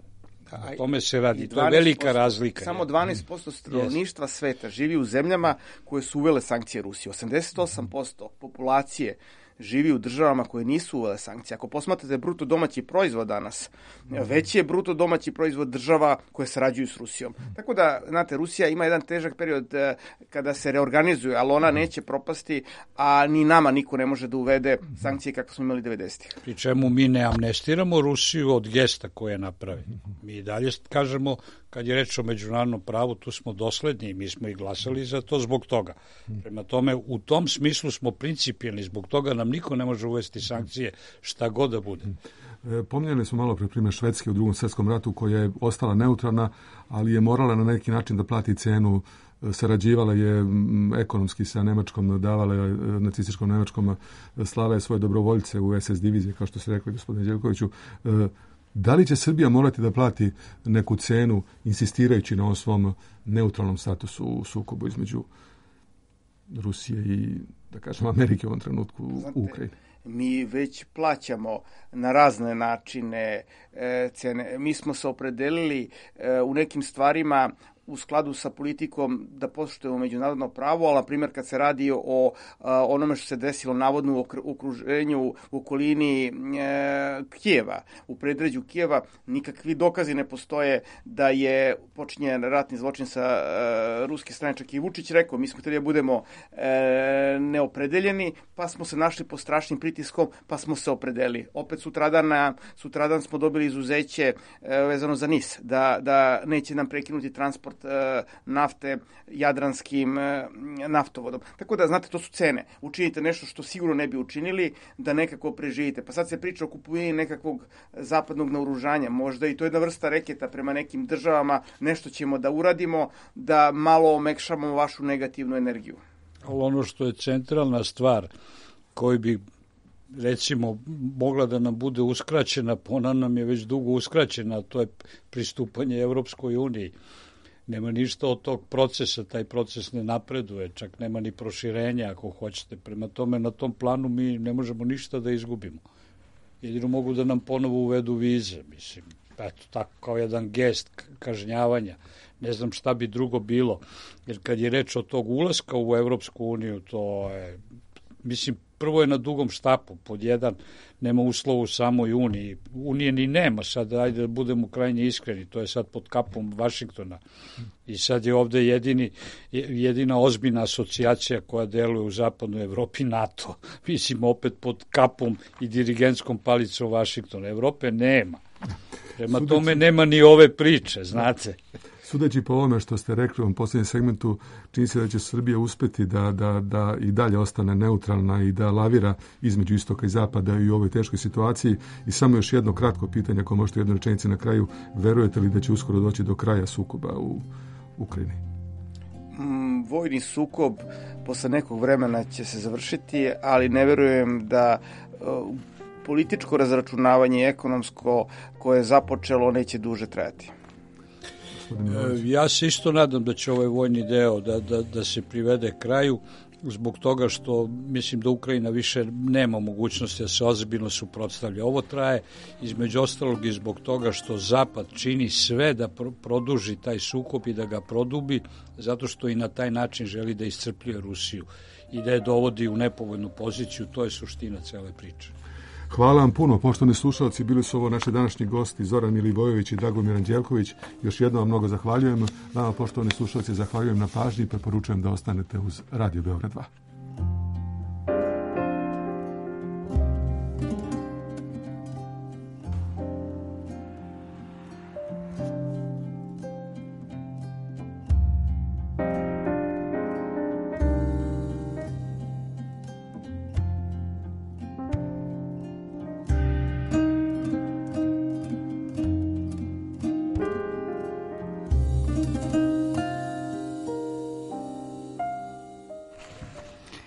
O tome se radi. To je velika razlika. Samo dvanaest posto stanovništva sveta živi u zemljama koje su uvele sankcije Rusije. osamdeset osam posto populacije živi u državama koje nisu uvele sankcije. Ako posmatrate bruto domaći proizvod danas, veći je bruto domaći proizvod država koje sarađuju s Rusijom. Tako da, znate, Rusija ima jedan težak period kada se reorganizuje, ali ona neće propasti, a ni nama niko ne može da uvede sankcije kako smo imali devedesetih. Pri čemu mi ne amnestiramo Rusiju od gesta koje napravi. Mi dalje kažemo, kad je reč o međunarodnom pravu, tu smo dosledni i mi smo i glasali za to zbog toga. Prema tome, u tom smislu smo principijelni, zbog toga nam niko ne može uvesti sankcije šta god da bude. Pominjali smo malo pre primjer Švedske u Drugom svjetskom ratu koja je ostala neutralna, ali je morala na neki način da plati cenu sarađivala je ekonomski sa Nemačkom, davala je nacističkom Nemačkom, slala je svoje dobrovoljce u es es divizije, kao što ste rekli, gospodine Đevkoviću. Da li će Srbija morati da plati neku cenu insistirajući na ovom svom neutralnom statusu u sukobu između Rusije i, da kažem, Amerike u ovom trenutku u Ukrajini? Mi već plaćamo na razne načine e, cene. Mi smo se opredelili e, u nekim stvarima u skladu sa politikom da poštujemo međunarodno pravo, ali na primjer kad se radi o a, onome što se desilo navodno u okruženju u okolini e, Kijeva, u predređu Kijeva, nikakvi dokazi ne postoje da je počinjen ratni zločin sa e, ruske strane. Čak i Vučić rekao, mi smo htjeli da budemo e, neopredeljeni, pa smo se našli pod strašnim pritiskom, pa smo se opredelili. Opet sutradan, sutradan smo dobili izuzeće e, vezano za NIS, da, da neće nam prekinuti transport nafte jadranskim naftovodom. Tako da, znate, to su cene. Učinite nešto što sigurno ne bi učinili, da nekako preživite. Pa sad se priča o kupovini nekakvog zapadnog naoružanja. Možda i to je jedna vrsta reketa prema nekim državama. Nešto ćemo da uradimo, da malo omekšamo vašu negativnu energiju. Ali ono što je centralna stvar koju bi recimo mogla da nam bude uskraćena, ona nam je već dugo uskraćena, to je pristupanje Evropskoj uniji. Nema ništa od tog procesa, taj proces ne napreduje, čak nema ni proširenja ako hoćete. Prema tome, na tom planu mi ne možemo ništa da izgubimo. Jedino mogu da nam ponovo uvedu vize, mislim. Eto, tako kao jedan gest kažnjavanja. Ne znam šta bi drugo bilo. Jer kad je reč o tog ulaska u Evropsku uniju, to je, mislim, prvo je na dugom štapu, pod jedan, nema uslova u samoj Uniji. Unije ni nema, sad ajde da budemo krajnje iskreni, to je sad pod kapom Vašingtona. I sad je ovde jedini, jedina ozbiljna asocijacija koja deluje u zapadnoj Evropi, NATO. Mislim, opet pod kapom i dirigentskom palicom Vašingtona. Evrope nema. Prema Sudeći... tome nema ni ove priče, znate. Sudeći po ovome što ste rekli u ovom posljednjem segmentu, čini se da će Srbija uspeti da, da, da i dalje ostane neutralna i da lavira između istoka i zapada i u ovoj teškoj situaciji. I samo još jedno kratko pitanje, ako možete jednu rečenicu na kraju, verujete li da će uskoro doći do kraja sukoba u Ukrajini? Mm, vojni sukob posle nekog vremena će se završiti, ali ne verujem da uh, političko razračunavanje ekonomsko koje je započelo neće duže trajati. Ja se isto nadam da će ovaj vojni deo da, da, da se privede kraju, zbog toga što mislim da Ukrajina više nema mogućnosti da se ozbiljno suprotstavlja. Ovo traje između ostalog i zbog toga što Zapad čini sve da pro, produži taj sukob i da ga produbi, zato što i na taj način želi da iscrpljuje Rusiju i da je dovodi u nepovoljnu poziciju. To je suština cele priče. Hvala vam puno, poštovani slušalci, bili su ovo naši današnji gosti Zoran Milivojević i Dragomir Anđelković. Još jednom vam mnogo zahvaljujem. Vama, poštovani slušalci, zahvaljujem na pažnji i preporučujem da ostanete uz Radio Beograd dva. Thank you.